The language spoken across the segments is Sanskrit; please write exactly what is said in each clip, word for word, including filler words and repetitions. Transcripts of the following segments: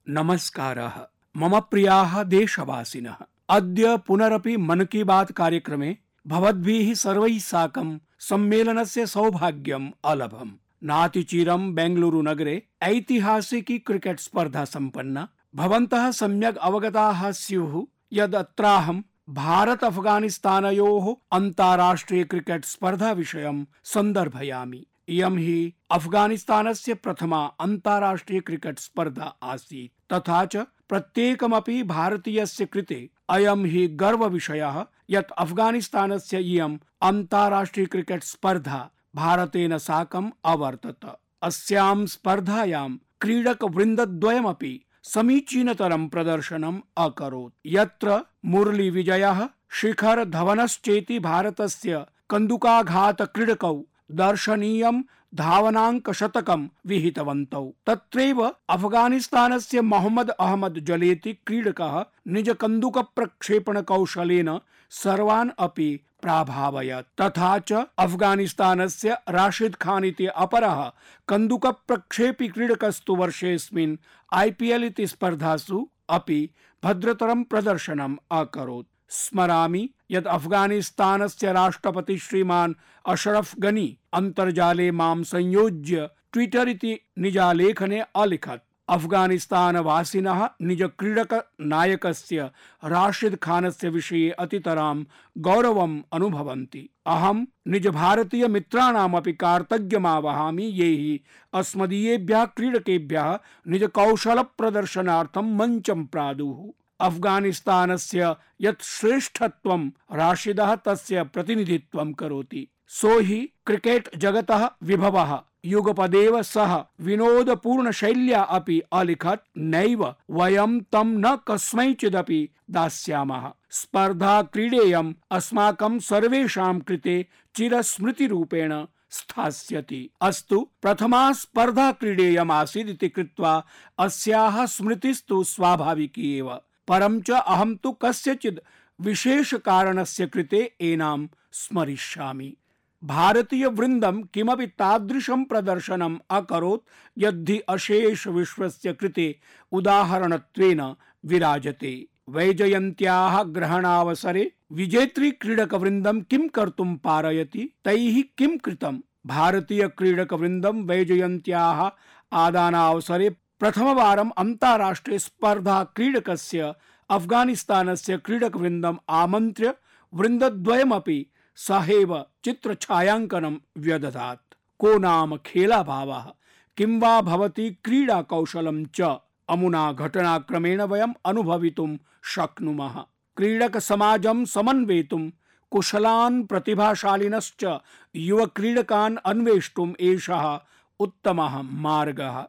नमस्कारः। मम प्रियाः देशवासिनः, अद्य पुनरपि मन की बात कार्यक्रमे भवद्भिः सर्वैः साकं सम्मेलनस्य सौभाग्यम् अलभम्। नातिचिरं बेंगलुरु नगरे ऐतिहासिकी क्रिकेट स्पर्धा सम्पन्ना। भवन्तः सम्यक् अवगताः स्युः यद् अत्राहं भारत अफगानिस्तानयोः अन्ताराष्ट्रिय क्रिकेट स्पर्धा विषयं सन्दर्भयामि। इयं हि अफगानिस्तानस्य प्रथमा अन्ताराष्ट्रिय क्रिकेट स्पर्धा आसीत्, तथा च प्रत्येकमपि भारतीयस्य कृते अयं हि गर्वविषयः यत् अफगानिस्तानस्य इयम् अन्ताराष्ट्रिय क्रिकेट स्पर्धा भारतेन साकम् अवर्तत। अस्यां स्पर्धायां क्रीडकवृन्दद्वयमपि समीचीनतरं प्रदर्शनम् अकरोत्, यत्र मुरली विजयः, शिखर धवनश्चेति भारतस्य कन्दुकाघात क्रीडकौ दर्शनीयं धावनाङ्कशतकं विहितवन्तौ। तत्रैव अफगानिस्तानस्य मोहम्मद अहमद जलेति क्रीडकः निजकन्दुकप्रक्षेपणकौशलेन सर्वान् अपि प्राभावयत्। तथा च अफगानिस्तानस्य राशिद खान इति अपरः कन्दुकप्रक्षेपी क्रीडकस्तु वर्षेऽस्मिन् आईपीएल इति स्पर्धासु अपि भद्रतरं प्रदर्शनम् अकरोत्। स्मरामि यत् अफगानिस्तानस्य राष्ट्रपति श्रीमान् अशरफ गनी अन्तर्जाले मां संयोज्य ट्विटर इति निजालेखने अलिखत्, अफगानिस्तानवासिनः निज क्रीडक नायकस्य राशिद खानस्य विषये अतितरां गौरवम् अनुभवन्ति। अहं निज भारतीय मित्राणामपि कार्तज्ञमावहामि ये हि अस्मदीयेभ्यः क्रीडकेभ्यः निज कौशल प्रदर्शनार्थं मञ्चं प्रादुः। अफगानिस्तानस्य यत् श्रेष्ठत्वं राशिदः तस्य प्रतिनिधित्वं करोति। सो हि क्रिकेट जगतः विभवः युगपदेव सह विनोदपूर्ण शैल्या अपि अलिखत्, नैव वयं तं न कस्मैचिदपि दास्यामः। स्पर्धा क्रीडेयम् अस्माकं सर्वेषां कृते चिरस्मृतिरूपेण स्थास्यति। अस्तु, प्रथमा स्पर्धा क्रीडेयम् आसीत् इति कृत्वा अस्याः स्मृतिस्तु स्वाभाविकी एव। परं च अहं तु कस्यचित् विशेष कारणस्य कृते एनां स्मरिष्यामि। भारतीय वृन्दं किमपि तादृशं प्रदर्शनम् अकरोत् यद्धि अशेष विश्वस्य कृते उदाहरणत्वेन विराजते। वैजयन्त्याः ग्रहणावसरे विजेत्री क्रीडकवृन्दं किं कर्तुं पारयति, तैः किं कृतं? भारतीय क्रीडकवृन्दं वैजयन्त्याः आदानावसरे प्रथमवारम् अन्ताराष्ट्रिय स्पर्धा क्रीडकस्य अफगानिस्तानस्य क्रीडकवृन्दम् आमन्त्र्य वृन्दद्वयमपि सहैव चित्रछायाङ्कनं व्यदधात्। को नाम खेलाभावः, किं वा भवति क्रीडा कौशलं च अमुना घटनाक्रमेण वयम् अनुभवितुं शक्नुमः। क्रीडक समाजं समन्वेतुं कुशलान् प्रतिभाशालिनश्च युव क्रीडकान् अन्वेष्टुम् एषः उत्तमः मार्गः।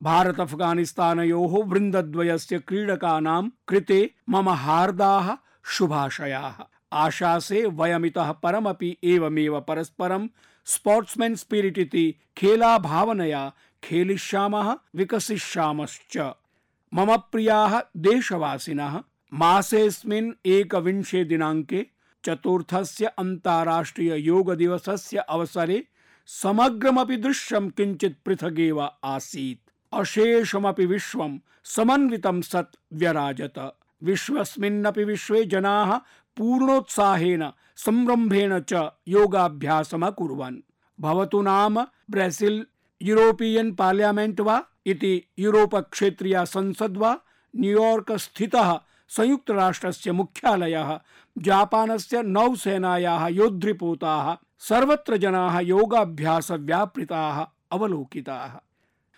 भारत अफगानिस्तानयोः वृन्दद्वयस्य क्रीडकानां कृते मम हार्दाः शुभाशयाः। आशासे वयमितः परमपि एवमेव परस्परं स्पोर्ट्समैन स्पिरिट इति खेला भावनया खेलिष्यामः, विकसिष्यामश्च। मम प्रियाः देशवासिनः, मासेऽस्मिन् एकविंशे दिनाङ्के चतुर्थस्य अन्ताराष्ट्रिय योग दिवसस्य अवसरे समग्रमपि दृश्यं किञ्चित् पृथगेव आसीत्। अशेषमपि विश्वं समन्वितं सत् व्यराजत। विश्वस्मिन्नपि विश्वे जनाः पूर्णोत्साहेन संरम्भेण च योगाभ्यासमकुर्वन्। भवतु नाम ब्राजील यूरोपियन पार्लियामेंट वा इति यूरोप क्षेत्रीया संसद वा, न्यूयॉर्क स्थितः संयुक्त राष्ट्रस्य मुख्यालयः, जापानस्य नौसेनायाः योद्धृपोताः, सर्वत्र जनाः योगाभ्यास व्यापृताः अवलोकिताः।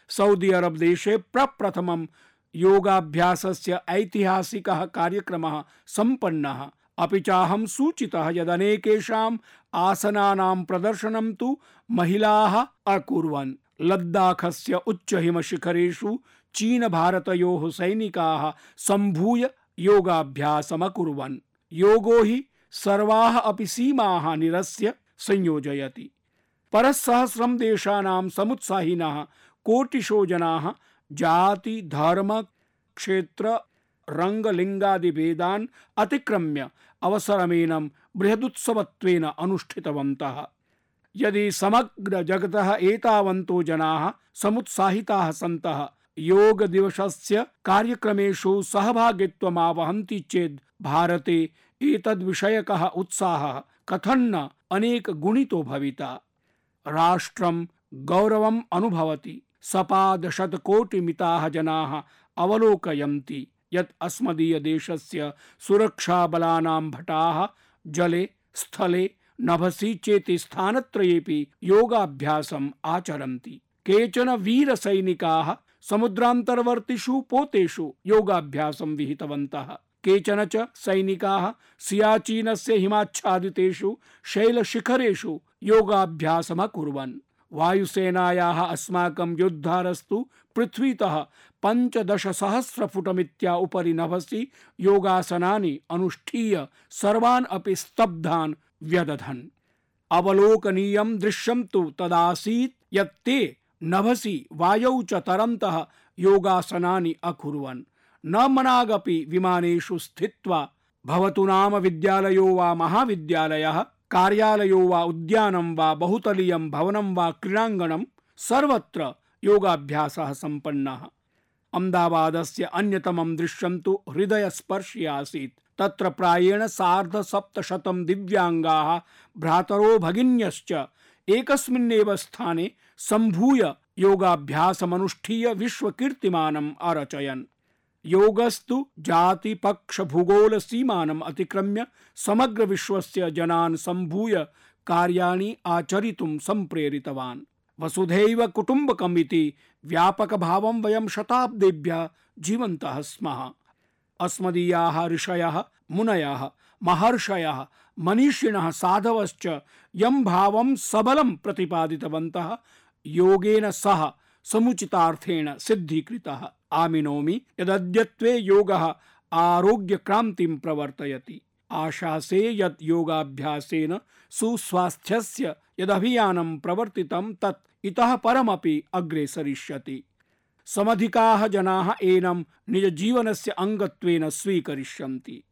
सऊदी अरब देशे प्रप्रथमं योगाभ्यासस्य ऐतिहासिकः कार्यक्रमः सम्पन्नः। अपि चाहं सूचितः यदनेकेषाम् आसनानां प्रदर्शनं तु महिलाः अकुर्वन्। लद्दाखस्य उच्चहिमशिखरेषु चीन भारतयोः सैनिकाः सम्भूय योगाभ्यासमकुर्वन्। योगो हि सर्वाः अपि सीमाः निरस्य संयोजयति। परस्सहस्रं देशानां समुत्साहिनः कोटिशो जनाः जाति धर्म क्षेत्र रंग लिंगादि भेदान् अतिक्रम्य अवसरमेनं बृहदुत्सवत्वेन अनुष्ठितवन्तः। यदि समग्र जगतः एतावन्तो जनाः समुत्साहिताः सन्तः योग दिवसस्य कार्यक्रमेषु सहभागित्वमावहन्ति चेत् भारते एतद्विषयकः उत्साहः कथन्न अनेक गुणितो भविता। राष्ट्रं गौरवम् अनुभवति। सपादशतकोटिमिताः जनाः अवलोकयन्ति यत् अस्मदीय देशस्य सुरक्षाबलानां भटाः जले, स्थले, नभसि चेति स्थानत्रयेपि योगाभ्यासम् आचरन्ति। केचन वीरसैनिकाः समुद्रान्तर्वर्तिषु पोतेषु योगाभ्यासं विहितवन्तः। केचन च सैनिकाः सियाचीनस्य हिमाच्छादितेषु शैलशिखरेषु योगाभ्यासमकुर्वन्। वायुसेनायाः अस्माकं योद्धारस्तु पृथ्वीतः पञ्चदशसहस्रफुटमित्या उपरि नभसि योगासनानि अनुष्ठीय सर्वान् अपि स्तब्धान् व्यदधन्। अवलोकनीयं दृश्यं तु तदासीत् यत् ते नभसि वायौ च तरन्तः योगासनानि अकुर्वन्। न मनागपि विमानेषु स्थित्वा भवतु नाम विद्यालयो वा महाविद्यालयः, कार्यालयो वा उद्यानं वा बहुतलीयं भवनं वा क्रीडाङ्गणं सर्वत्र योगाभ्यासः सम्पन्नः। अहमदाबादस्य अन्यतमं दृश्यं तु हृदयस्पर्शी आसीत्। तत्र प्रायेण सार्धसप्तशतं दिव्याङ्गाः भ्रातरो भगिन्यश्च एकस्मिन्नेव स्थाने सम्भूय योगाभ्यासमनुष्ठीय विश्वकीर्तिमानम् अरचयन्। योगस्तु जाति पक्ष भूगोल सीमानम् अतिक्रम्य समग्र विश्वस्य जनान् सम्भूय कार्याणि आचरितुं सम्प्रेरितवान्। वसुधैव कुटुम्बकम् इति व्यापकभावं वयं शताब्देभ्यः जीवन्तः स्मः। अस्मदीयाः ऋषयः, मुनयः, महर्षयः, मनीषिणः, साधवश्च यं भावं सबलं प्रतिपादितवन्तः योगेन सह समुचितार्थेन सिद्धीकृतः। आमिनोमि यदद्यत्वे योगः आरोग्यक्रान्तिं प्रवर्तयति। आशासे यत् योगाभ्यासेन सुस्वास्थ्यस्य यदभियानं प्रवर्तितं तत् इतः परमपि अग्रे सरिष्यति। समधिकाः जनाः एनं निजजीवनस्य अङ्गत्वेन स्वीकरिष्यन्ति।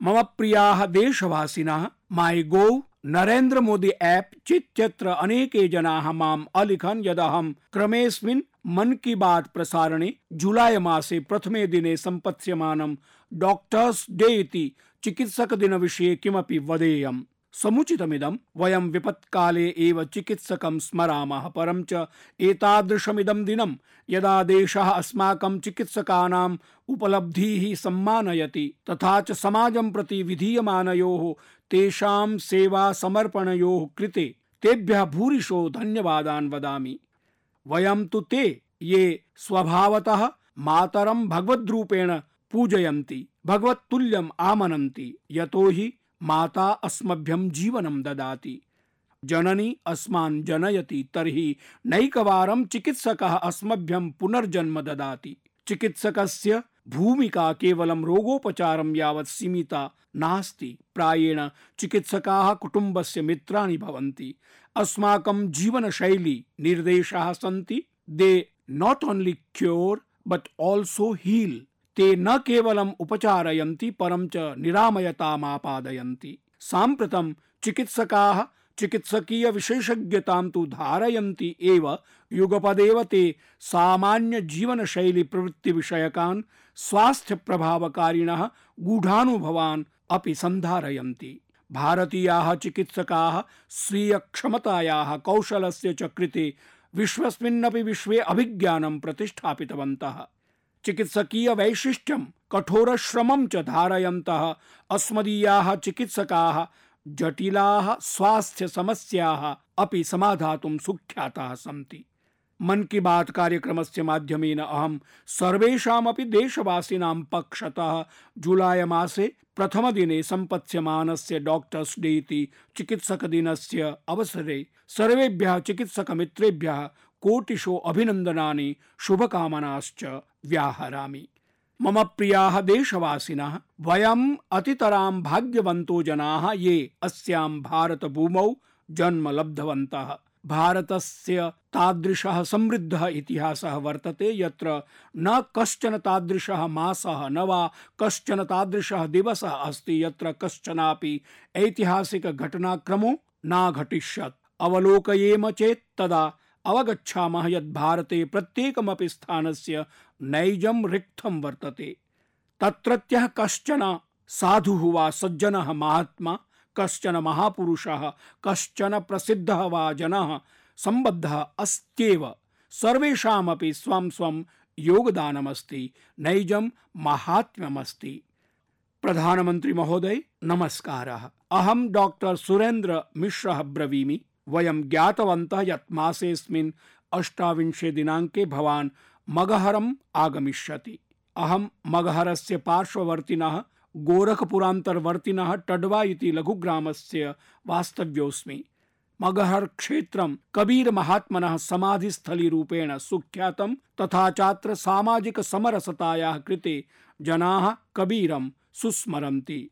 मम प्रियाः देशवासिनः, माई गोव, नरेन्द्र मोदी ऐप चित्यत्र अनेके जनाः माम् अलिखन् यदहं क्रमेऽस्मिन् मन की बात प्रसारणे जुलाई मासे प्रथमे दिने सम्पत्स्यमानं डॉक्टर्स डे इति चिकित्सक दिन विषये किमपि वदेयम्। समुचितमिदं। वयं विपत्काले एव चिकित्सकं स्मरामः, परं च एतादृशमिदं दिनं यदा देशः अस्माकं चिकित्सकानाम् उपलब्धीः सम्मानयति तथा च समाजं प्रति विधीयमानयोः तेषां सेवा समर्पणयोः कृते तेभ्यः भूरिशो धन्यवादान् वदामि। वयं तु ते ये स्वभावतः मातरं भगवद्रूपेण पूजयन्ति, भगवत्तुल्यम् आमनन्ति, यतो हि माता अस्मभ्यं जीवनं ददाति। जननी अस्मान् जनयति, तर्हि नैकवारं चिकित्सकः अस्मभ्यं पुनर्जन्म ददाति। चिकित्सकस्य भूमिका केवलं रोगोपचारं यावत् सीमिता नास्ति। प्रायेण चिकित्सकाः कुटुम्बस्य मित्राणि भवन्ति। अस्माकं जीवनशैली निर्देशाः सन्ति। They not only cure but also heal. ते न केवलम् उपचारयन्ति परं च निरामयतामापादयन्ति। साम्प्रतं चिकित्सकाः चिकित्सकीय विशेषज्ञतां तु धारयन्ति एव, युगपदेव ते सामान्य जीवनशैली प्रवृत्ति विषयकान् स्वास्थ्य प्रभावकारिणः गूढानुभवान् अपि सन्धारयन्ति। भारतीयाः चिकित्सकाः स्वीय क्षमतायाः कौशलस्य च कृते विश्वस्मिन्नपि विश्वे अभिज्ञानं प्रतिष्ठापितवन्तः। चिकित्सकीय वैशिष्ट्यं कठोरश्रमं च धारयन्तः अस्मदीयाः चिकित्सकाः जटिलाः स्वास्थ्य समस्याः अपि समाधातुं सुख्याताः सन्ति। मन की बात कार्यक्रमस्य माध्यमेन अहं सर्वेषामपि देशवासिनां पक्षतः जुलाई मासे प्रथमदिने सम्पत्स्यमानस्य डॉक्टर्स डे इति चिकित्सकदिनस्य अवसरे सर्वेभ्यः चिकित्सकमित्रेभ्यः कोटिशो अभिनन्दनानि शुभकामनाश्च व्याहरामि। मम प्रियाः देशवासिनः, वयम् अतितरां भाग्यवन्तो जनाः ये अस्यां भारतभूमौ जन्म लब्धवन्तः। भारतस्य तादृशः समृद्धः इतिहासः वर्तते यत्र न कश्चन तादृशः मासः न वा कश्चन तादृशः दिवसः अस्ति यत्र कश्चनापि ऐतिहासिक घटनाक्रमो न घटिष्यत्। अवलोकयेम चेत् तदा अवगच्छामः यत् भारते प्रत्येकमपि स्थानस्य नैजं रिक्थं वर्तते। तत्रत्यः कश्चन साधुः वा सज्जनः महात्मा, कश्चन महापुरुषः, कश्चन प्रसिद्धः वा जनः सम्बद्धः अस्त्येव। सर्वेषामपि स्वं स्वं योगदानमस्ति, नैजं महात्म्यमस्ति। प्रधानमंत्री महोदय नमस्कारः। अहं डॉक्टर सुरेंद्र मिश्रः ब्रवीमि। वयं ज्ञातवन्तः यत् मासेऽस्मिन् अष्टाविंशे दिनाङ्के भवान् मगहरम् आगमिष्यति। अहं मगहरस्य पार्श्ववर्तिनः गोरखपुरान्तर्वर्तिनः टडवा इति लघुग्रामस्य वास्तव्योऽस्मि। मगहर क्षेत्रं कबीर महात्मनः समाधिस्थलीरूपेण सुख्यातं, तथा चात्र सामाजिक समरसतायाः कृते जनाः कबीरं सुस्मरन्ति।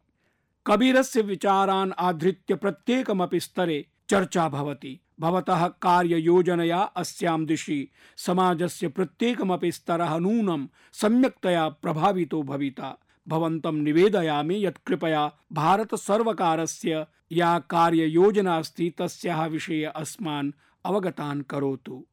कबीरस्य विचारान् आधृत्य प्रत्येकमपि स्तरे चर्चा भवति। भवतः कार्ययोजनया अस्यां दिशि समाजस्य प्रत्येकमपि स्तरः नूनं सम्यक्तया प्रभावितो भविता। भवन्तं निवेदयामि यत् कृपया भारत सर्वकारस्य या कार्ययोजना अस्ति तस्याः विषये अस्मान् अवगतान् करोतु।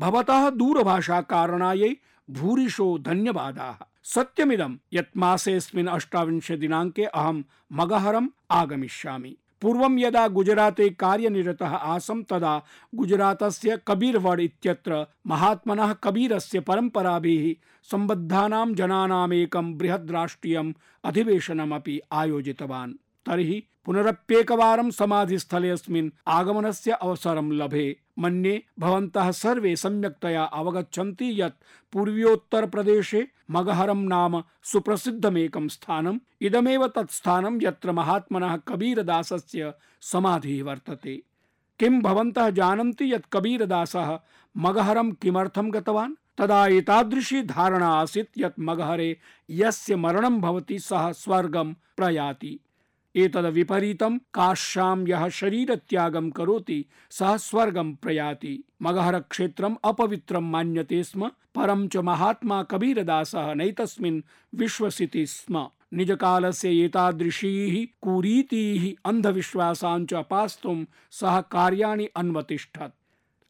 भवतः दूरभाषा कारणायै भूरिशो धन्यवादाः। सत्यमिदं यत् मासेऽस्मिन् अष्टाविंशे दिनाङ्के अहं मगहरम् आगमिष्यामि। पूर्वं यदा गुजराते कार्यनिरतः आसं तदा गुजरातस्य कबीरवड इत्यत्र महात्मनः कबीरस्य परम्पराभिः सम्बद्धानां जनानाम् एकं बृहद् राष्ट्रियम् अधिवेशनमपि आयोजितवान्। तर्हि पुनरप्येकवारं समाधिस्थलेऽस्मिन् आगमनस्य अवसरं लभे। मन्ये भवन्तः सर्वे सम्यक्तया अवगच्छन्ति यत् पूर्वोत्तरप्रदेशे मगहरं नाम सुप्रसिद्धमेकं स्थानम्। इदमेव तत् स्थानं यत्र महात्मनः कबीरदासस्य समाधिः वर्तते। किं भवन्तः जानन्ति यत् कबीरदासः मगहरं किमर्थं गतवान्? तदा एतादृशी धारणा आसीत् यत् मगहरे यस्य मरणं भवति सः स्वर्गं प्रयाति। एतद् विपरीतं काश्यां यः शरीरत्यागं करोति सः स्वर्गं प्रयाति। मगहर क्षेत्रम् अपवित्रं मान्यते स्म, परं च महात्मा कबीरदासः नैतस्मिन् विश्वसिति स्म। निजकालस्य एतादृशीः कुरीतीः अन्धविश्वासान् च अपास्तुं सः कार्याणि अन्वतिष्ठत्।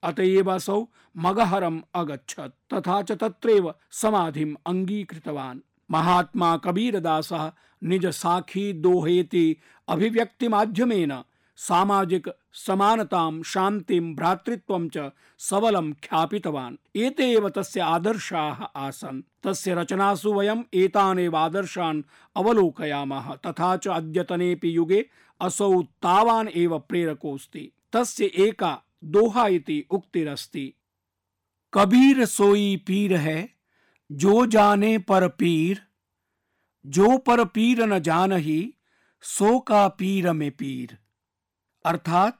अतएव असौ मगहरम् अगच्छत्, तथा च तत्रैव समाधिम् अङ्गीकृतवान्। महात्मा कबीरदासः निज साखी दोहेति अभिव्यक्ति माध्यमेन सामाजिक समानतां, शान्तिं, भ्रातृत्वं च सबलं ख्यापितवान्। एते एव तस्य आदर्शाः आसन्। तस्य रचनासु वयम् एतानेव आदर्शान् अवलोकयामः। तथा च अद्यतनेऽपि युगे असौ तावान् एव प्रेरकोऽस्ति। तस्य एका दोहा इति उक्तिरस्ति, कबीर सोई पीर है जो जाने पर पीर, जो पर पीर न जानहि सो का पीर में पीर। अर्थात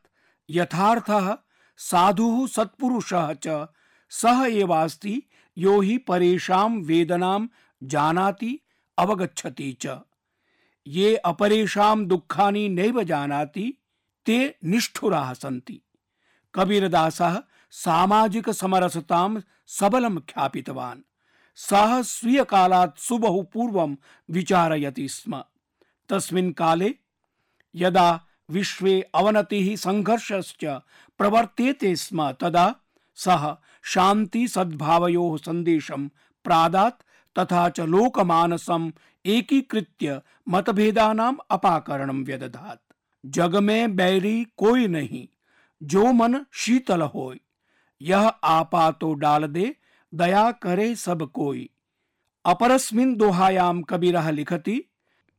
यथार्थः साधुः सत्पुरुषः च सः एवास्ति यो हि परेषां वेदनां जानाति अवगच्छति च। ये अपरेषां दुःखानि नैव जानाति ते निष्ठुराः सन्ति। कबीरदासः सामाजिक समरसतां सबलं ख्यापितवान्। सः स्वीय कालात् सुबहु पूर्वं विचारयति स्म। तस्मिन् काले यदा विश्वे अवनतिः संघर्षश्च प्रवर्तेते स्म तदा सः शान्ति सद्भावयोः सन्देशं प्रादात्, तथा च लोकमानसम् एकीकृत्य मतभेदानाम् अपाकरणं व्यदधात्। जग में बैरी कोई नहीं, जो मन शीतल होय, यह आपा तो डाल दे, दया करे सब कोई। अपरस्मिन् दोहायां कबीरः लिखति,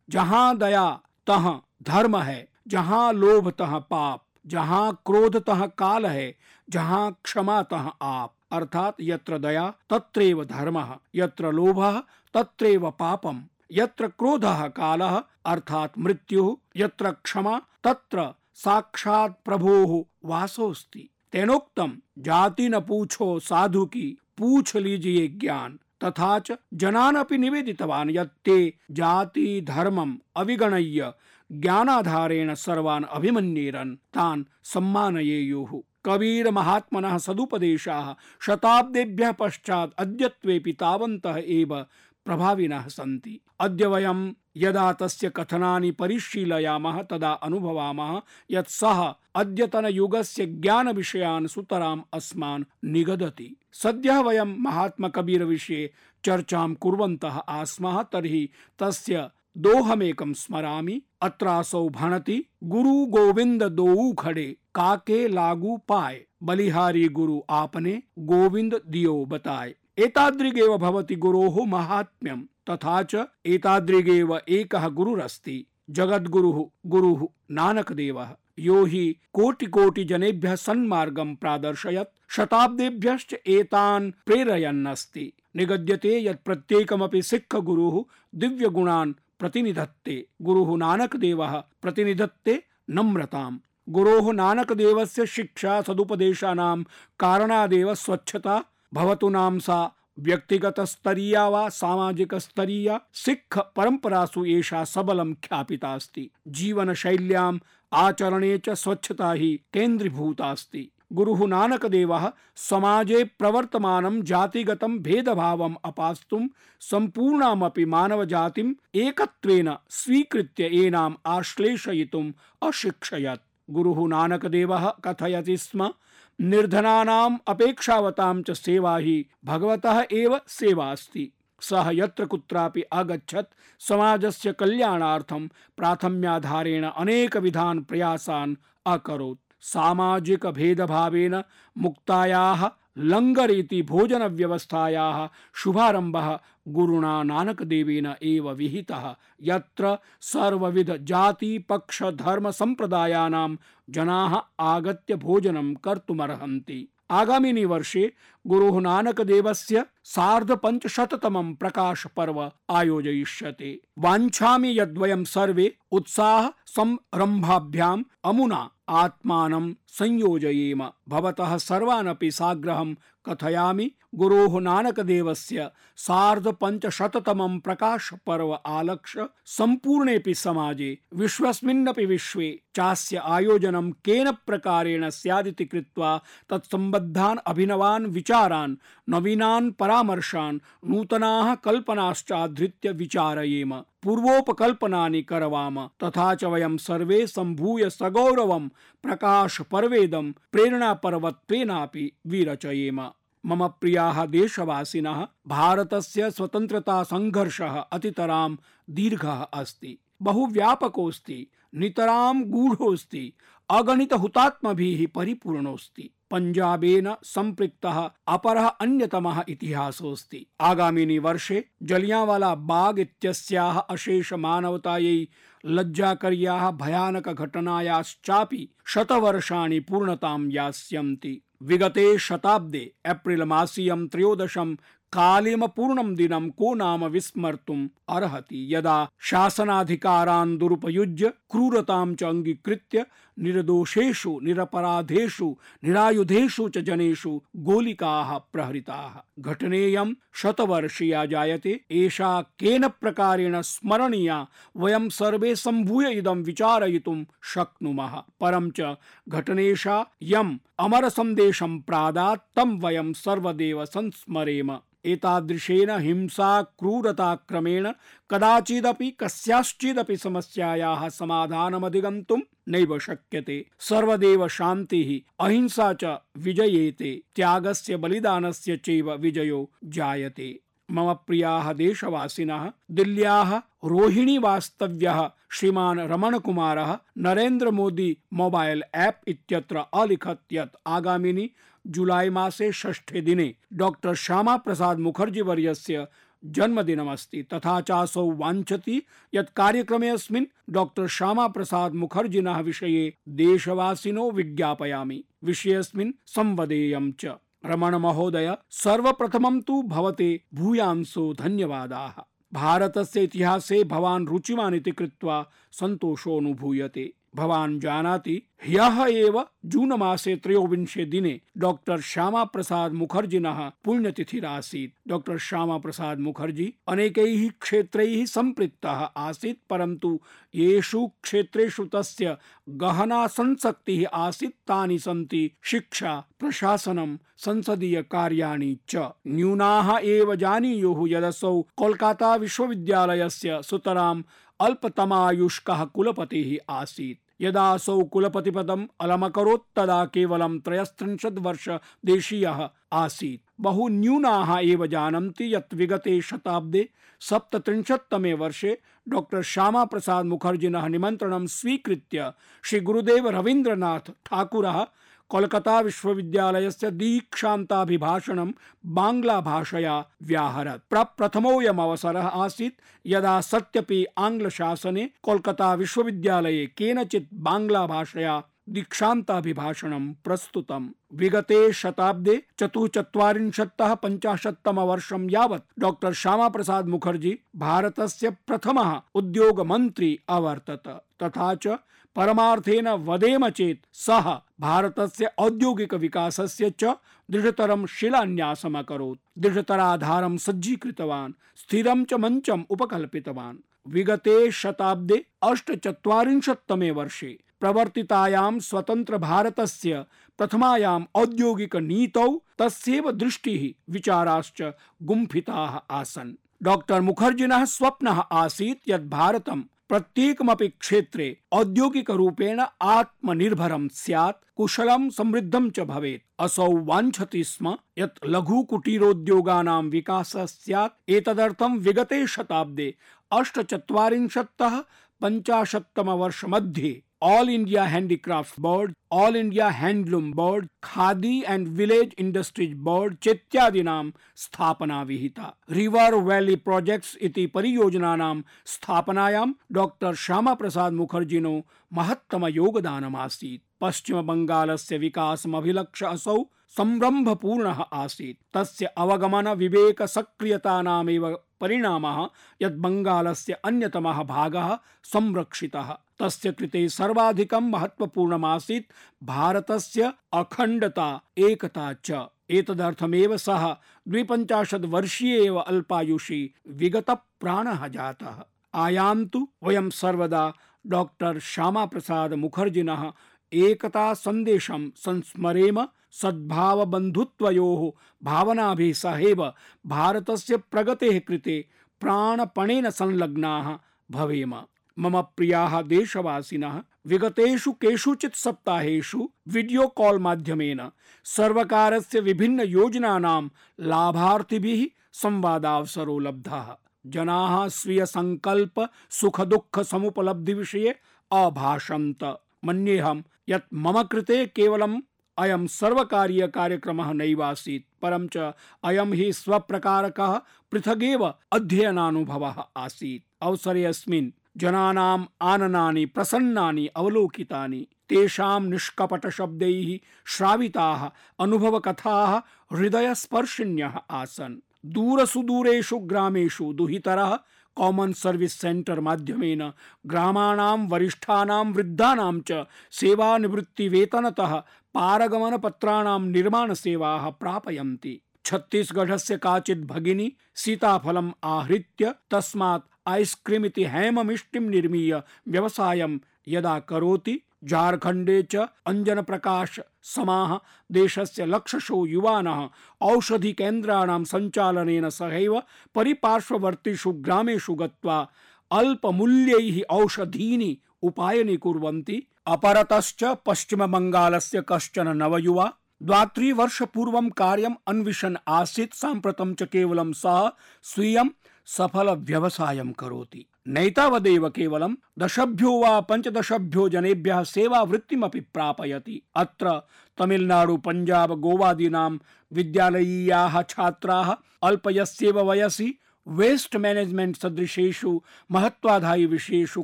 जहां दया तहाँ धर्म है, जहां लोभ तहाँ पाप, जहां क्रोध तहाँ काल है, जहां क्षमा तहाँ आप। अर्थात यत्र दया तत्रैव धर्मः, यत्र लोभः तत्रैव पापम्, यत्र क्रोधः कालः अर्थात मृत्युः, यत्र क्षमा तत्र साक्षात् प्रभोः वासोऽस्ति। तेनोक्तम, जाति न पूछो साधु की, पूछ लीजिए ज्ञान। तथा च जनानपि निवेदितवान् यत् ते जाति धर्मम् अविगणय्य ज्ञानाधारेण सर्वान् अभिमन्येरन् तान् सम्मानयेयुः। कबीर महात्मनः सदुपदेशाः शताब्देभ्यः पश्चात् अद्यत्वेऽपि तावन्तः एव प्रभाविनः सन्ति। अद्य वयं यदा तस्य कथनानि परिशीलयामः तदा अनुभवामः यत् सः अद्यतनयुगस्य ज्ञानविषयान् सुतराम् अस्मान् निगदति। सद्यः वयं महात्मकबीरविषये चर्चां कुर्वन्तः आस्मः, तर्हि तस्य दोहमेकं स्मरामि। अत्रासौ भणति गुरु गोविंद दोऊ खड़े, काके लागू पाए, बलिहारी गुरु आपने, गोविंद दियो बताए। एतादृगेव भवति गुरोः महात्म्यं, तथा च एतादृगेव एकः गुरुरस्ति, जगद्गुरुः गुरुः नानकदेवः, यो हि कोटि कोटि जनेभ्यः सन्मार्गं प्रादर्शयत्, शताब्देभ्यश्च एतान् प्रेरयन्नस्ति। निगद्यते यत् प्रत्येकमपि सिक्ख गुरुः दिव्य गुणान् प्रतिनिधत्ते। गुरुः नानकदेवः प्रतिनिधत्ते नम्रताम्। गुरोः नानकदेवस्य शिक्षा सदुपदेशानां कारणादेव स्वच्छता भवतु नाम सा व्यक्तिगतस्तरीया वा सामाजिकस्तरीया सिक्ख परम्परासु एषा सबलं ख्यापिता अस्ति। जीवनशैल्याम् आचरणे च स्वच्छता हि केन्द्रीभूता अस्ति। गुरुः नानकदेवः समाजे प्रवर्तमानं जातिगतं भेदभावम् अपास्तुं सम्पूर्णामपि मानवजातिम् एकत्वेन स्वीकृत्य एनाम् आश्लेषयितुम् अशिक्षयत्। गुरुः नानकदेवः कथयति स्म, निर्धनानाम् अपेक्षावतां च सेवा हि भगवतः एव सेवा अस्ति। सः यत्र कुत्रापि अगच्छत् समाजस्य कल्याणार्थं प्राथम्याधारेण अनेकविधान् प्रयासान् अकरोत्। सामाजिक भेदभावेन मुक्तायाः लंगर इति भोजन व्यवस्थायाः शुभारम्भः गुरुणा नानकदेवेन एव विहितः, यत्र सर्वविध जाति पक्ष धर्म संप्रदायानां जनाः आगत्य भोजनं कर्तुमर्हन्ति। आगामिनि वर्षे गुरुः नानकदेवस्य सार्धपञ्चशततमं प्रकाश पर्व आयोजयिष्यते। वाञ्छामि यद्वयं सर्वे उत्साह संरम्भाभ्याम् अमुना आत्मानं संयोजयेम। भवतः सर्वानपि साग्रहं कथयामि। गुरोः नानकदेवस्य सार्धपञ्चशततमं प्रकाश पर्व आलक्ष्य सम्पूर्णेऽपि समाजे विश्वस्मिन्नपि विश्वे चास्य आयोजनं केन प्रकारेण स्यादिति कृत्वा तत्सम्बद्धान् अभिनवान् विचारान्, नवीनान् परामर्शान्, नूतनाः कल्पनाश्चाधृत्य विचारयेम, पूर्वोपकल्पनानि करवाम। तथा च वयं सर्वे सम्भूय सगौरवं प्रकाश पर्वेदं प्रेरणापर्वत्वेनापि विरचयेम। मम प्रियाः देशवासिनः, भारतस्य स्वतन्त्रता संघर्षः अतितरां दीर्घः अस्ति, बहुव्यापकोऽस्ति, नितरां गूढोऽस्ति, अगणित हुतात्मभिः परिपूर्णोऽस्ति। पंजाबेन संपृक्तः अपरः अन्यतमः इतिहासोऽस्ति। आगामिनि वर्षे जलियांवाला बाग इत्यस्याः अशेष मानवतायै लज्जाकर्याः भयानक घटनायाश्चापि शतवर्षाणि पूर्णतां यास्यन्ति। विगते शताब्दे एप्रिल मासीयं त्रयोदशं कालेम पूर्णं दिनं को नाम विस्मर्तुम् अर्हति, यदा शासनाधिकारान् दुरुपयुज्य क्रूरतां च अंगीकृत्य निर्दोषेषु निरपराधेषु निरायुधेषु च जनेषु गोलिकाः प्रहृताः। घटनेयं शतवर्षीया जायते। एषा केन प्रकारेण स्मरणीया वयं सर्वे सम्भूय इदं विचारयितुं शक्नुमः। परं च घटनेशा यम् अमर सन्देशं प्रादात् तं वयं सर्वदेव संस्मरेम। एतादृशेन हिंसा क्रूरताक्रमेण कदाचिदपि कस्याश्चिदपि समस्यायाः समाधानमधिगन्तुं नैव शक्यते। सर्वदेव शान्तिः अहिंसा च विजयेते, त्यागस्य बलिदानस्य चैव विजयो जायते। मम प्रियाः देशवासिनः, दिल्ल्याः रोहिणी वास्तव्यः श्रीमान् रमणकुमारः नरेन्द्र मोदी मोबाइल ऐप इत्यत्र अलिखत् यत् आगामिनि जुलाई मासे षष्ठे दिने डॉक्टर श्यामा प्रसाद मुखर्जी वर्यस्य जन्मदिनमस्ति। तथा चासौ वाञ्छति यत् कार्यक्रमेऽस्मिन् डॉक्टर श्यामा प्रसाद मुखर्जिनः विषये देशवासिनो विज्ञापयामि, विषयेऽस्मिन् संवदेयं च। रमण महोदय, सर्वप्रथमं तु भवते भूयांसो धन्यवादाः। भारतस्य इतिहासे भवान् रुचिमान् इति कृत्वा सन्तोषोऽनुभूयते। भवान् जानाति ह्यः एव जून मासे त्रयोविंशे दिने डॉक्टर श्यामा प्रसाद मुखर्जिनः पुण्यतिथिरासीत्। डॉक्टर श्यामा प्रसाद मुखर्जी अनेकैः क्षेत्रैः सम्पृक्तः आसीत्, परन्तु येषु क्षेत्रेषु तस्य गहना संसक्तिः आसीत् तानि सन्ति शिक्षा, प्रशासनं, संसदीय कार्याणि च। न्यूनाः एव जानीयुः यदसौ कोलकाता विश्वविद्यालयस्य सुतराम् अल्पतमायुष्कः कुलपतिः आसीत्। यदा असौ कुलपतिपदम् अलमकरोत् तदा केवलं त्रयस्त्रिंशत् वर्ष देशीयः आसीत्। बहु न्यूनाः एव जानन्ति यत् विगते शताब्दे सप्तत्रिंशत्तमे वर्षे डॉक्टर श्यामा प्रसाद मुखर्जिनः निमन्त्रणं स्वीकृत्य श्री गुरुदेव रवीन्द्रनाथ ठाकुरः कोलकाता विश्वविद्यालयस्य दीक्षान्ताभिभाषणं बांग्ला भाषया व्याहरत्। प्रप्रथमोऽयम् अवसरः आसीत् यदा सत्यपि आङ्ग्लशासने कोलकाता विश्वविद्यालये केनचित् बांग्ला भाषया दीक्षान्ताभिभाषणं प्रस्तुतम्। विगते शताब्दे चतुश्चत्वारिंशत्तः पञ्चाशत्तमवर्षं यावत् डॉक्टर श्यामा प्रसाद मुखर्जी भारतस्य प्रथमः उद्योगमन्त्री अवर्तत। तथा च परमार्थेन वदेम चेत् सः भारतस्य औद्योगिक विकासस्य च दृढतरं शिलान्यासम् अकरोत्। दृढतराधारं सज्जीकृतवान्, स्थिरं च मञ्चम् उपकल्पितवान्। विगते शताब्दे अष्टचत्वारिंशत्तमे वर्षे प्रवर्तितायां स्वतंत्र भारतस्य प्रथमायाम् औद्योगिक नीतौ तस्यैव दृष्टिः विचाराश्च गुम्फिताः आसन्। डॉक्टर मुखर्जिनः स्वप्नः आसीत् यत् भारतं प्रत्येकमपि क्षेत्रे औद्योगिक रूपेण आत्मनिर्भरं स्यात्, कुशलं समृद्धं च भवेत्। असौ वाञ्छति स्म यत् लघु कुटीरोद्योगानां विकासः स्यात्। एतदर्थं विगते शताब्दे अष्टचत्वारिंशत्तः पञ्चाशत्तमवर्ष मध्ये all India handicraft board, all India handloom board, Khadi and village industries board चेत्यादीनां स्थापना विहिता। रिवर वैली प्रोजेक्ट्स इति परियोजनानां स्थापनायां डॉक्टर श्यामा प्रसाद मुखर्जिनो महत्तम योगदानमासीत्। पश्चिम बंगालस्य विकासमभिलक्ष्य असौ संरम्भपूर्णः आसीत्। तस्य अवगमन विवेक सक्रियतानामेव परिणामः यत् बंगालस्य अन्यतमः भागः संरक्षितः। तस्य कृते सर्वाधिकं महत्वपूर्णमासीत् भारतस्य अखण्डता, एकता च। एतदर्थमेव सः द्विपञ्चाशत् वर्षीय एव अल्पायुषी विगत प्राणः जातः। आयान्तु वयं सर्वदा डॉक्टर श्यामा प्रसाद मुखर्जिनः एकता संदेशं संस्मरेम। सद्भाव बन्धुत्वयोः भावनाभिः सहैव भारतस्य प्रगतेः कृते प्राणपणेन संलग्नाः भवेम। मम प्रियाः देशवासिनः, विगतेषु केषुचित् सप्ताहेषु वीडियो कॉल माध्यमेन सर्वकारस्य विभिन्न योजनानां लाभार्थिभिः संवादावसरो लब्धः। जनाः स्वीय संकल्प सुख दुःख समुपलब्धि विषये अभाषन्त। मन्येऽहं यत् मम कृते केवलम् अयं सर्वकारीय कार्यक्रमः नैवासीत्, परं च अयं हि स्वप्रकारकः पृथगेव अध्ययनानुभवः आसीत्। अवसरेऽस्मिन् जनानाम् आननानि प्रसन्नानि अवलोकितानि, तेषां निष्कपट शब्दैः श्राविताः अनुभवकथाः हृदयस्पर्शिन्यः आसन्। दूरसुदूरेषु ग्रामेषु दुहितरः कॉमन सर्विस सेंटर माध्यमेन ग्रामाणां वरिष्ठानां वृद्धानां च सेवानिवृत्तिवेतनतः पारगमन पत्राणां निर्माण सेवाः प्रापयन्ति। छत्तीसगढ़स्य काचित् भगिनी सीताफलम् आहृत्य तस्मात् आइस्क्रीम इति हेममिष्टिं निर्मीय व्यवसायं यदा करोति, झारखण्डे च अंजन प्रकाश समाः देशस्य लक्षशो युवानः औषधि केन्द्राणां सञ्चालनेन सहैव परिपार्श्ववर्तीषु ग्रामेषु गत्वा अल्पमूल्यैः औषधीनि उपायनी कुर्वन्ति। अपरतश्च पश्चिम बंगालस्य कश्चन नवयुवा द्वात्रिवर्षपूर्वं कार्यम् अन्विषन् आसीत्। साम्प्रतं च केवलं सः स्वीयं सफल व्यवसायं करोति। नैतावदेव केवलं दशभ्यो वा पञ्चदशभ्यो जनेभ्यः सेवावृत्तिमपि प्रापयति। अत्र तमिलनाडु, पंजाब, गोवादीनां विद्यालयीयाः छात्राः अल्पयस्यैव वयसि वेस्ट मैनेजमेंट सदृशेषु महत्वाधायि विषयेषु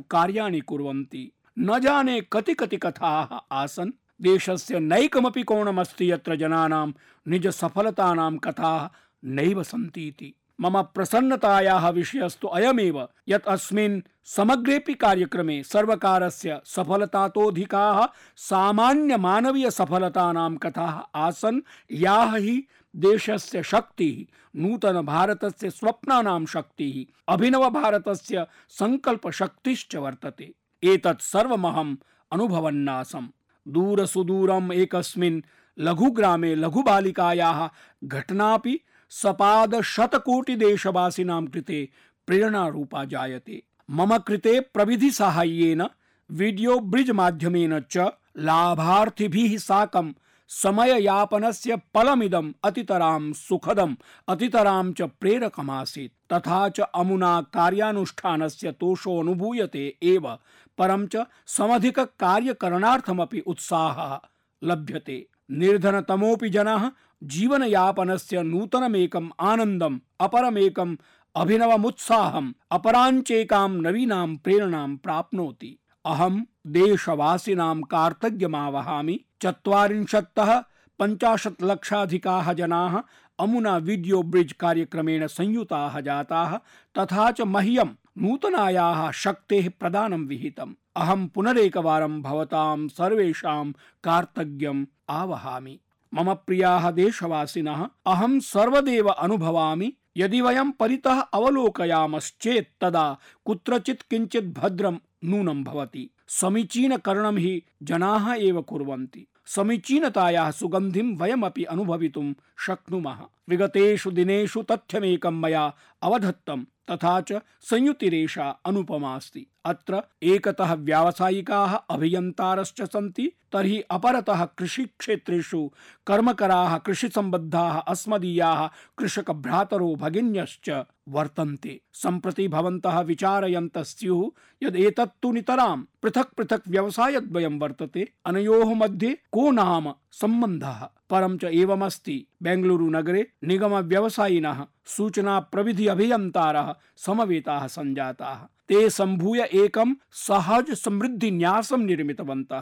कार्याणि कुर्वन्ति। न जाने कति कति कथाः आसन्। देशस्य नैकमपि कोणमस्ति यत्र जनानां निज सफलतानां कथाः नैव सन्ति इति। मम प्रसन्नतायाः विषयस्तु अयमेव यत् अस्मिन् समग्रेऽपि कार्यक्रमे सर्वकारस्य सफलतातोऽधिकाः सामान्य मानवीय सफलतानां कथाः आसन्, याः हि देशस्य शक्तिः, नूतन भारतस्य स्वप्नानां शक्तिः, अभिनव भारतस्य संकल्प शक्तिश्च वर्तते। एतत् सर्वमहम् अनुभवन्नासम्। दूरसुदूरम् एकस्मिन् लघुग्रामे लघुबालिकायाः घटनापि सपाद शतकोटिदेशवासिनां कृते प्रेरणारूपा जायते। मम कृते प्रविधि साहाय्येन वीडियो ब्रिड्ज माध्यमेन च लाभार्थिभिः साकं समययापनस्य फलमिदम् अतितरां सुखदम् अतितरां च प्रेरकमासीत्। तथा च अमुना कार्यानुष्ठानस्य तोषो अनुभूयते एव, परं च समधिक कार्यकरणार्थमपि उत्साहः लभ्यते। निर्धनतमोऽपि जनः जीवनयापनस्य नूतनमेकम् आनन्दम्, अपरमेकम् अभिनवमुत्साहम्, अपराञ्चेकां नवीनां प्रेरणां प्राप्नोति। अहं देशवासिनां कार्तज्ञमावहामि। चत्वारिंशत्तः पञ्चाशत् लक्षाधिकाः जनाः अमुना वीडियो ब्रिड्ज कार्यक्रमेण संयुताः जाताः, तथा च मह्यं नूतनायाः शक्तेः प्रदानं विहितम्। अहं पुनरेकवारं भवतां सर्वेषां कार्तज्ञम् आवहामि। मम प्रियाः देशवासिनः, अहं सर्वदेव अनुभवामि, यदि वयं परितः अवलोकयामश्चेत् तदा कुत्रचित् किञ्चित् भद्रं नूनं भवति। समीचीनकरणं हि जनाः एव कुर्वन्ति। समीचीनतायाः सुगन्धिं वयमपि अनुभवितुं शक्नुमः। विगतेषु दिनेषु तथ्यमेकं मया अवधत्तं, तथा च संयुतिरेषा अनुपमास्ति। अत्र एकतः व्यावसायिकाः अभियन्तारश्च सन्ति, तर्हि अपरतः कृषिक्षेत्रेषु कर्मकराः कृषिसम्बद्धाः अस्मदीयाः कृषकभ्रातरो भगिन्यश्च वर्तन्ते। सम्प्रति भवन्तः विचारयन्तः स्युः यद् एतत्तु नितरां पृथक् पृथक् व्यवसायद्वयं वर्तते, अनयोः मध्ये को नाम सम्बन्धः। परं च एवमस्ति, बेंगलुरु नगरे निगम व्यवसायिनः सूचना प्रविधि अभियन्तारः समवेताः सञ्जाताः। ते सम्भूय एकं सहज समृद्धि न्यासं निर्मितवन्तः,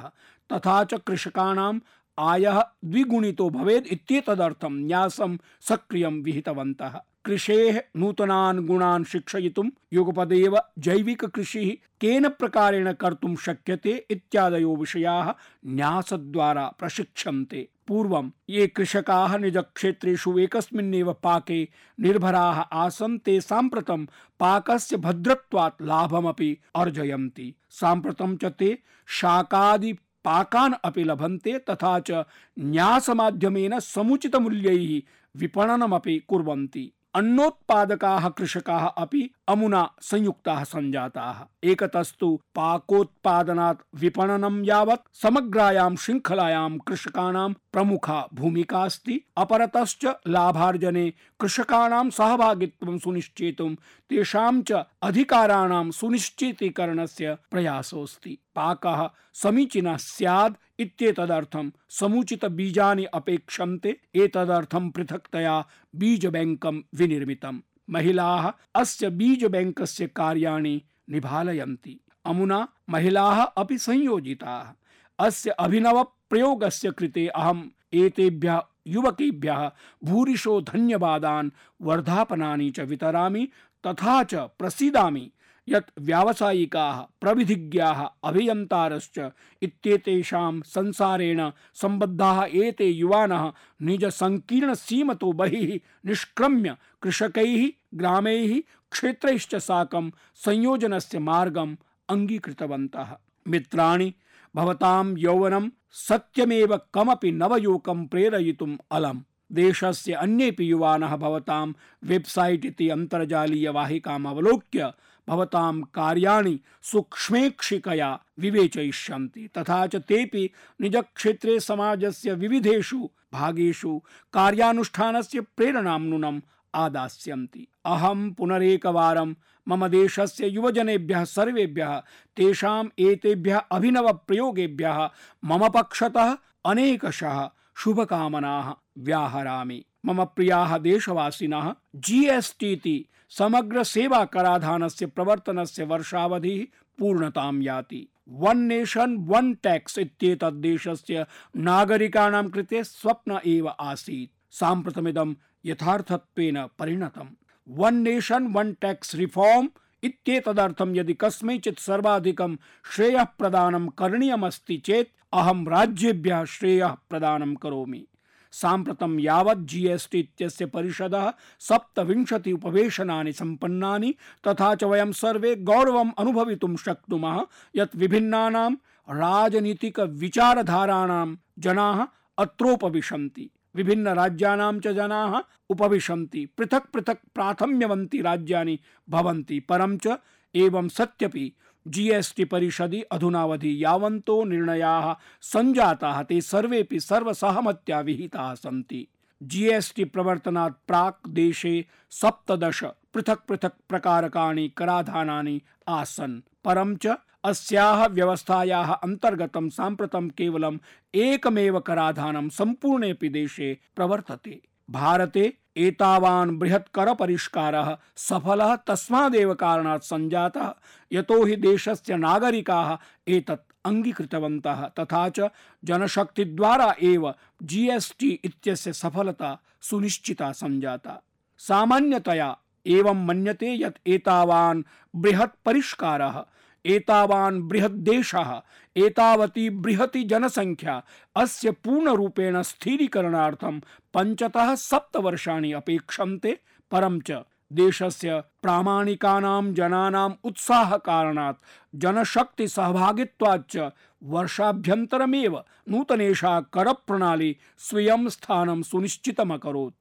तथा च कृषकाणाम् आयः द्विगुणितो भवेत् इत्येतदर्थं न्यासं सक्रियं विहितवन्तः। कृषेः नूतनान् गुणान् शिक्षयितुं युगपदेव जैविक कृषिः केन प्रकारेण कर्तुं शक्यते इत्यादयो विषयाः न्यासद्वारा प्रशिक्ष्यन्ते। पूर्वं ये कृषकाः निजक्षेत्रेषु एकस्मिन्नेव पाके निर्भराः आसन्, ते साम्प्रतं पाकस्य भद्रत्वात् लाभमपि अर्जयन्ति। साम्प्रतं च ते शाकादि पाकान् अपि लभन्ते, तथा च न्यासमाध्यमेन समुचितमूल्यैः विपणनमपि कुर्वन्ति। अन्नोत्पादकाः कृषकाः अपि अमुना संयुक्ताः सञ्जाताः। एकतस्तु पाकोत्पादनात् विपणनं यावत् समग्रायां शृङ्खलायां कृषकाणां प्रमुखा भूमिका अस्ति। अपरतश्च लाभार्जने कृषकाणां सहभागित्वं सुनिश्चेतुं तेषां च अधिकाराणां सुनिश्चितीकरणस्य प्रयासोऽस्ति। पाकः समीचीनः स्यात् इत्येतदर्थं समुचित बीजानि अपेक्षन्ते। एतदर्थं पृथक्तया बीज बैंकं विनिर्मितम्। महिलाः अस्य बीज बैंकस्य कार्याणि निभालयन्ति। अमुना महिलाः अपि संयोजिताः। अस्य अभिनव प्रयोगस्य कृते अहम् एतेभ्यः युवकेभ्यः भूरिशो धन्यवादान् वर्धापनानि च वितरामि, तथा च प्रसीदामि यत् व्यावसायिकाः, प्रविधिज्ञाः, अभियन्तारश्च इत्येतेषां संसारेण सम्बद्धाः एते युवानः निज संकीर्ण सीमतो बहिः निष्क्रम्य कृषकैः, ग्रामैः, क्षेत्रैश्च साकं संयोजनस्य मार्गम् अङ्गीकृतवन्तः। मित्राणि, भवतां यौवनं सत्यमेव कमपि नवयोकं प्रेरयितुम् अलम्। देशस्य अन्येपि युवानः भवतां वेबसाइट इति अन्तर्जालीय वाहिकाम् अवलोक्य भवतां कार्याणि सूक्ष्मेक्षिकया विवेचयिष्यन्ति, तथा च तेपि निजक्षेत्रे समाजस्य विविधेषु भागेषु कार्यानुष्ठानस्य प्रेरणां नूनम् आदास्यन्ति। अहं पुनरेकवारं मम देशस्य युवजनेभ्यः सर्वेभ्यः तेषाम् एतेभ्यः अभिनव प्रयोगेभ्यः मम पक्षतः अनेकशः शुभकामनाः व्याहरामि। मम प्रियाः देशवासिनः, जीएसटी इति समग्र सेवा कराधानस्य प्रवर्तनस्य वर्षावधिः पूर्णतां याति। वन नेशन वन टैक्स इत्येतत् देशस्य नागरिकाणां कृते स्वप्न एव आसीत्। साम्प्रतमिदं यथार्थत्वेन परिणतम्। वन नेशन वन टैक्स रिफॉर्म इत्येतदर्थं यदि कस्मैचित् सर्वाधिकं श्रेयः प्रदानं करणीयमस्ति चेत् अहं राज्येभ्यः श्रेयः प्रदानं करोमि। साम्प्रतं यावत् जीएसटी इत्यस्य परिषदः सप्तविंशति उपवेशनानि सम्पन्नानि, तथा च वयं सर्वे गौरवम् अनुभवितुं शक्नुमः यत् विभिन्नानां राजनीतिक विचारधाराणां जनाः अत्रोपविशन्ति, विभिन्न राज्यानां च जनाः उपविशन्ति, पृथक् पृथक् प्राथम्यवन्ति राज्यानि भवन्ति। परं च एवं सत्यपि जीएसटी परिषदि अधुनावधि यावन्तो निर्णयाः सञ्जाताः ते सर्वेपि सर्वसहमत्या विहिताः सन्ति। जीएसटी प्रवर्तनात् प्राक् देशे सप्तदश पृथक् पृथक् प्रकारकाणि कराधानानि आसन्। परं च अस्याः व्यवस्थायाः अन्तर्गतं साम्प्रतं केवलम् एकमेव कराधानं सम्पूर्णेऽपि देशे प्रवर्तते। भारते एतावान् बृहत् कर परिष्कारः सफलः तस्मादेव कारणात् सञ्जातः यतो हि देशस्य नागरिकाः एतत् अङ्गीकृतवन्तः, तथा च जनशक्तिद्वारा एव जीएसटी इत्यस्य सफलता सुनिश्चिता सञ्जाता। सामान्यतया एवं मन्यते यत् एतावान् बृहत् परिष्कारः, एतावान् बृहत् देशः, एतावती बृहती जनसंख्या अस्य पूर्णरूपेण स्थिरीकरणार्थं पञ्चतः सप्त वर्षाणि अपेक्षन्ते। परं च देशस्य प्रामाणिकानां जनानाम् उत्साहकारणात् जनशक्ति सहभागित्वाच्च वर्षाभ्यन्तरमेव नूतनेषा करप्रणाली स्वीयं स्थानं सुनिश्चितमकरोत्।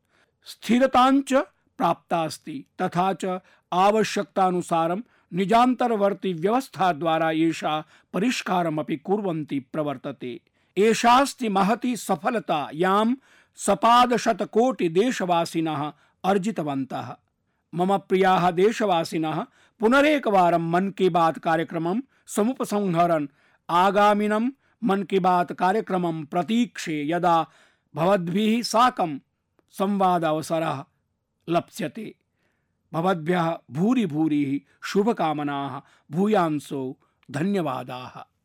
स्थिरताञ्च प्राप्तास्ति, तथा च आवश्यकतानुसारं निजान्तरवर्ती व्यवस्था द्वारा एषा परिष्कारमपि कुर्वन्ती प्रवर्तते। एषास्ति महती सफलता यां सपादशतकोटि देशवासिनः अर्जितवन्तः। मम प्रियाः देशवासिनः, पुनरेकवारं मन की बात कार्यक्रमं समुपसंहरन् आगामिनं मन की बात कार्यक्रमं प्रतीक्षे, यदा भवद्भिः साकं संवादावसरः लप्स्यते। भवद्भ्यः भूरि भूरि शुभकामनाः, भूयांसो धन्यवादाः।